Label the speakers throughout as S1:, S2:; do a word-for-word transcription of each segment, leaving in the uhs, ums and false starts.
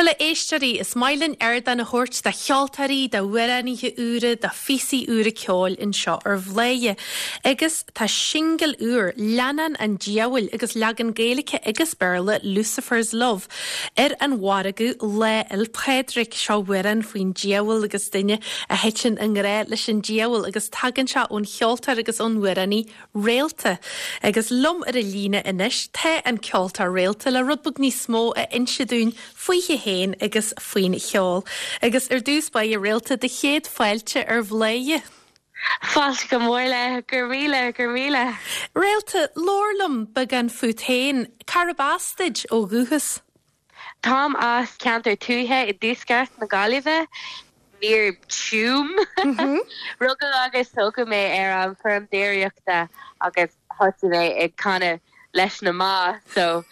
S1: Bhuel a éisteoirí, is maith linn ardán a thabhairt do cheoltóirí, d'amhránaithe úra, do phíosaí úra ceoil anseo ar Bhladhaire. Agus tá singil úr Leannán an Diabhail agus leagan Gaeilge agus Béarla Lucifer's Love ar an mhargadh Lá 'le Pádraig seo amhrán faoin diabhal agus duine a thiteann i ngrá leis an diabhal agus tagann sé ón cheoltóir agus ón amhránaí Réalta. Agus liom ar an líne anois tá an ceoltóir Réalta le rud beag níos mó a inse dúinn fúithi féin agus faoin cheol. Agus ar dtús báire Réalta do chéad fáilte ar Bhladhaire.
S2: Fáilte go mór le gur míle gur míle.
S1: Réalta labhair liom beagán fút féin, Cárb as duit ó dhúchas.
S2: Táim as ceantar tuaithe i dtuaisceart na Gaillimhe, near Tuam. Rugadh agus tógadh mé ar an bhfeirm déiríochta agus thosaigh mé ag canadh leis na ba so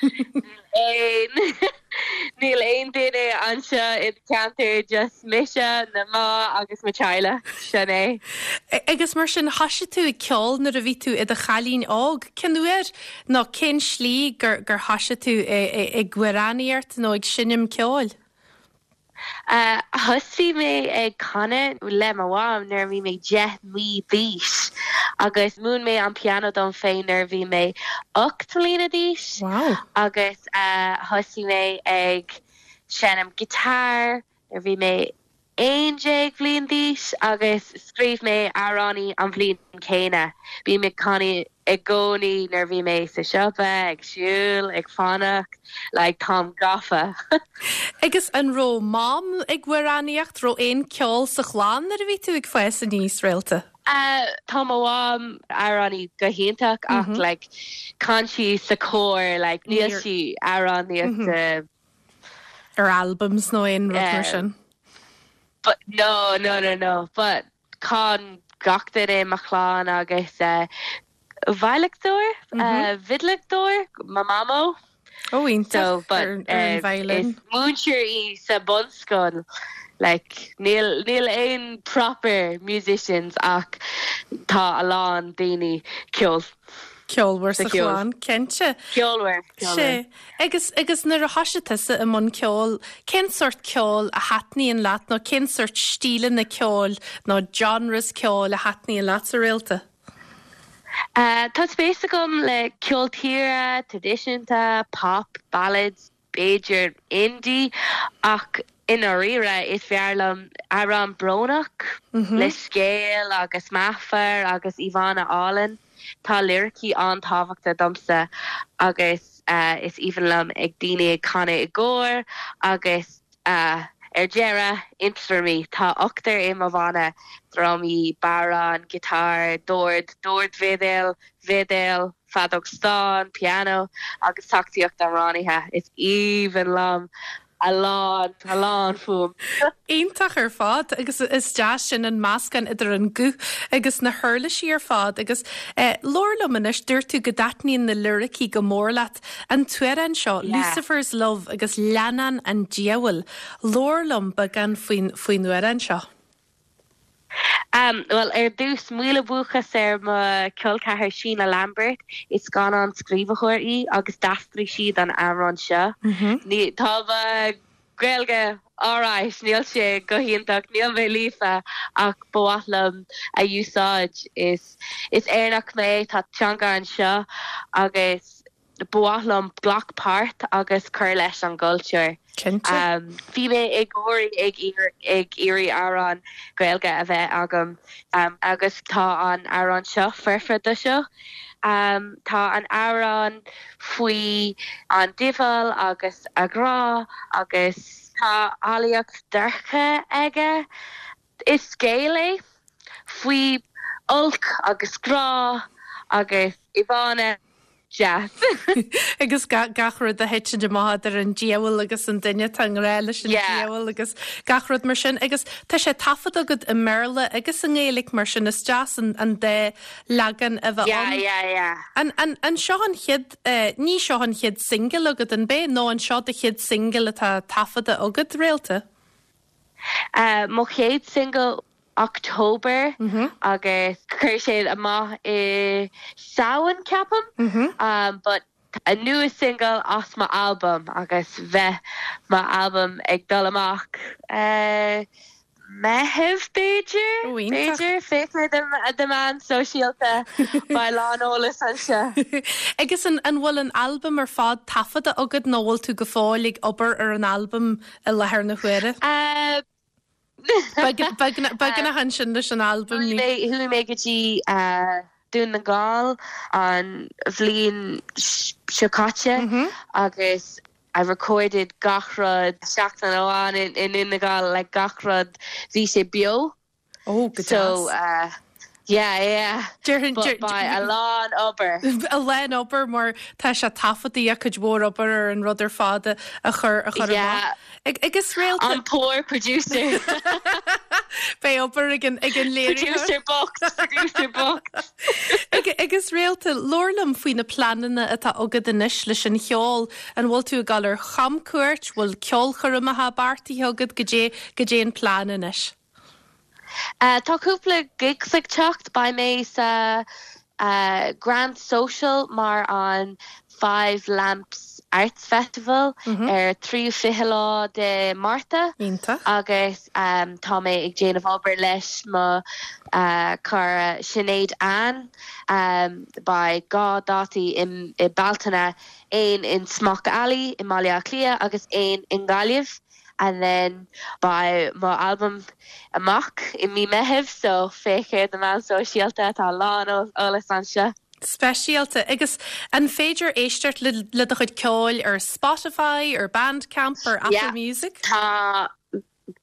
S2: aon níl aon duine anseo i ceantar just mise na ba agus mo theaghlach sin é.
S1: Agus mar sin thosaigh tú ag ceol nuair a bhí tú i do chailín óg cén uair nó cén slí gur gur thosaigh tú ag amhránaíocht nó ag seinm ceoil.
S2: Uh, Thosaigh mé ag canadh le mo mham nuair bhí mé deich mí d'aois agus mhúin mé an piano dom féin nuair bhí mé ocht mbliana d'aois
S1: Wow.
S2: agus uh, thosaigh mé ag seinm guitar nuair bhí mé aon déag bhliain d'aois agus scríobh mé amhráin an bhliain céanna. Bhí mé canadh i gcónaí nuair bhí mé sa siopa ag siúl ag fanacht le like, táim gafa.
S1: Agus an raibh mam ag amhránaíocht raibh aon ceol sa chlann nuair a bhí tú ag fás aníos Réalta.
S2: Uh, tá mo mham amhránaí go hiontach ach mm -hmm. like, chan sí sa chór like, níl sí amhránaíocht mm -hmm.
S1: ar albums nó aon rud mar sin.
S2: But no no no no but chan gach duine mo chlann agus uh, veidhleadóir mm -hmm. uh, veidhleadóir ma mamo
S1: ó so
S2: but uh, is múinteoir í sa bunscoil like níl níl aon proper musicians ach tá a lán daoine ceol
S1: ceolmhar sa chlann cinnte.
S2: Ceolmhar
S1: Sé agus agus nuair a thosaigh tusa i mbun ceoil cén sórt ceoil a thaitníonn leat nó cén sórt stíleanna ceoil nó genres ceoil a thaitníonn leat a Réalta.
S2: Uh, tá spéis agam le ceol tíre, traidisiúnta, pop, ballads, b'fhéidir indie ach i ndáiríre is fearr liom amhrán brónach mm -hmm. le scéal agus meafar agus íomhánna álainn. Tá liricí an-tábhachtach domsa agus uh, is aoibhinn liom ag daoine ag canadh i gcór agus uh, ar deireadh ionstraimí tá ochtar i mo bhanna drumaí, bodhrán, giotár, dord, dordveidhil, veidhil, feadóg stáin, piano agus tacaíocht amhránaithe is aoibhinn liom a lán a lán fuaim.
S1: Iontach ar fad agus is deas sin an meascán idir an guth agus na huirlisí ar fad agus eh, labhair liom anois dúirt tú go dtaitníonn na liricí go mór leat an t-amhrán seo yeah. Lucifer's Love agus leannán an diabhail labhair liom beagán faoin faoin amhrán seo.
S2: Um, well ar dtús míle buíochas ar mo chol ceathar Síne Lambert is scannán scríbhneoir í agus d'aistrigh sí an amhrán seo.
S1: Mm -hmm.
S2: Ní tá Gaeilge alright níl sé go hiontach níl mé líofa ach ba mhaith liom a úsáid is is Éireannach mé tá teanga anseo agus ba mhaith liom glac páirt agus cur leis an gcultúr. Um, Bhí mé ag gáirí ag ag iarraidh amhrán Gaeilge a bheith agam um, agus tá an amhrán seo foirfe do seo. Um, tá an amhrán faoi an diabhal agus a ghrá agus tá eolaíocht dorcha aige. Is scéal é faoi olc agus grá agus íomhánna deas.
S1: agus gach rud a thiteann amach ar an diabhal agus an duine atá i ngrá leis an diabhal agus gach rud mar sin agus tá sé taifeadta agat i mBéarla agus i nGaeilge mar sin is deas an an dá leagan a bheith
S2: Yeah, yeah, yeah.
S1: An, an, an seo an chéad uh, ní seo an chéad single agat an b'é nó an seo do chéad single atá taifeadta agat Réalta?
S2: Uh, mo chéad single October
S1: mm -hmm.
S2: agus chuir sé amach i Samhain ceapaim
S1: mm -hmm.
S2: um, but a nua single as mo album agus beidh mo album ag dul amach uh, Meitheamh b'fhéidir b'fhéidir féach ar na meáin sóisialta beidh a lán eolas anseo.
S1: Agus an an bhfuil an album ar fad taifeadta agat nó bhfuil tú go fóill ag obair ar an album i láthair na huaire?
S2: Uh,
S1: Beagnach ansin leis an album
S2: Chuaigh mé go dtí uh, Dún na nGall an bhliain seo caite mm -hmm. agus I recorded gach rud seachtain amháin in in Dún na nGall like gach rud bhí sé beo.
S1: Oh,
S2: so uh, Yeah, yeah. Beidh a lán obair.
S1: A lán obair mar tá sé taifeadta cuid mhór obair ar an rud ar fad a chur a chur agus
S2: réal an poor producer.
S1: Beidh obair ag an ag an léiritheoir.
S2: Producer box, producer box.
S1: Agus Réalta labhair liom faoi na pleananna atá agat anois leis an cheol an bhfuil tú ag dul ar chamcuairt, bhfuil ceolchoirmeacha beartaithe agat cad é cad é an plean anois.
S2: Uh, tá cúpla gigs ag teacht beidh mé sa uh, Grand Social mar an Five Lamps Arts Festival mm -hmm. ar tríú fiche lá de Márta agus um, tá mé ag déanamh obair leis mo uh, cara Sinéad Ann um, beidh dhá dátaí i, i Bealtaine aon in Smock Alley i mBaile Átha Cliath agus aon in Gaillimh. and then beidh mo album amach i mí Meitheamh so féach ar na meáin sóisialta tá lán eolas anseo.
S1: Speisialta agus an féidir éisteacht le, le do chuid ceoil ar Spotify ar Bandcamp ar Apple yeah, Music?
S2: Tá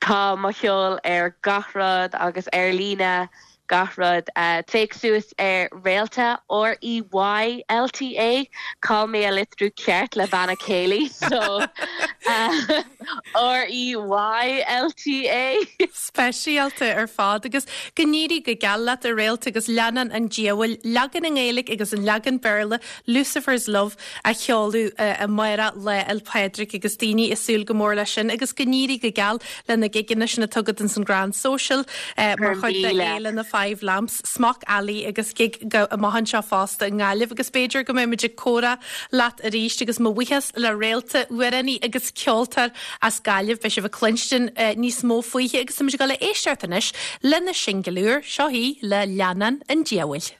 S2: tá mo cheol ar gach rud agus ar líne gach rud uh, féach suas ar Réalta R E Y L T A Caithfidh mé a litriú ceart le banna céilí so uh, R E Y L T A
S1: Speisialta ar fad agus go n-éirí go geal leat a Réalta agus leannán an diabhail leagan i nGaeilge agus an leagan Béarla Lucifer's Love a sheoladh uh, amárach Lá 'le Pádraig agus daoine ag súil go mór leis sin agus go n-éirí go geal le na gigeanna sin atá agat san Grand Social uh, mar chuid de fhéile na Five Lamps, Smock Alley agus gig amach anseo fosta i nGaillimh agus b'fhéidir go mbeimid ag comhrá leat arís agus mo bhuíochas le Réalta amhránaí agus ceoltóir as Gaillimh beidh sibh ag cluinstin uh, níos mó faoithi agus muid ag dul le éisteacht anois lena singil úr seo í le leannán an diabhail.